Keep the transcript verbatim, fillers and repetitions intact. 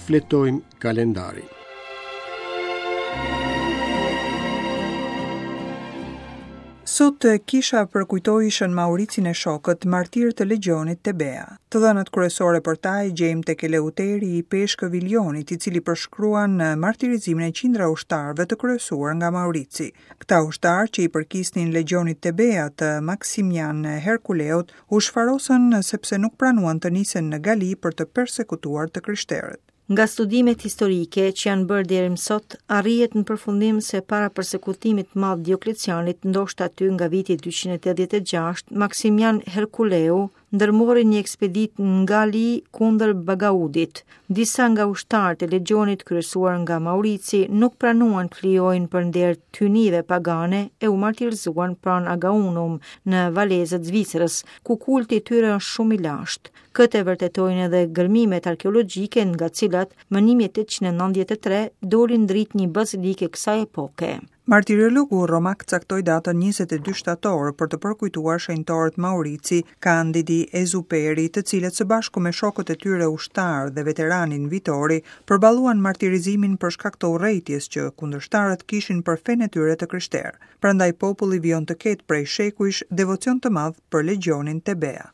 Shfletojmë kalendarin. Sot kisha përkujtoi Shën Mauricin e shokët, martirë të legjionit Tebea. Të dhënat kryesore për ta i gjejmë tek Eleuteri i Peshkëv i Lionit, i cili përshkruan martirizimin e qindra ushtarëve të kryesuar nga Maurici. Këta ushtarë që i përkisnin legjionit Tebea të Maksimian Herkuleut u shfarosën sepse nuk pranuan të nisen në Gali për të persekutuar të krishterët. Nga studimet historike që janë bërë deri më sot, arrihet në përfundim se para persekutimit të madh Dioklecianit, ndoshta aty nga viti dyqind e tetëdhjetë e gjashtë, Maksimian Herkuleu ndërmori një ekspeditë në Gali kundër Bagaudit. Disa nga ushtarët e legjionit kryesuar nga Maurici nuk pranuan të flijojnë për nder të hyjnive pagane e u martirizuan pranë Agaunum në Valezët Zvicrës, ku kulti i tyre është shumë i lashtë. Këtë e vërtetojnë edhe gërmimet arkeologjike nga cilat më një mijë e tetëqind e nëntëdhjetë e tre doli në dritë një bazilikë e kësaj epoke. Martirologu romak caktoi datën njëzet e dy shtator për të përkujtuar shenjtorët Maurici, Kandidi, Ezuperi, të cilët së bashku me shokët e tyre ushtarë dhe veteranin Vitori përballuan martirizimin për shkak të urrejtjes që kundërshtarët kishin për fenë e tyre të krishterë. Prandaj populli vijon të ketë prej shekujsh devocion të madh për legjionin Tebea.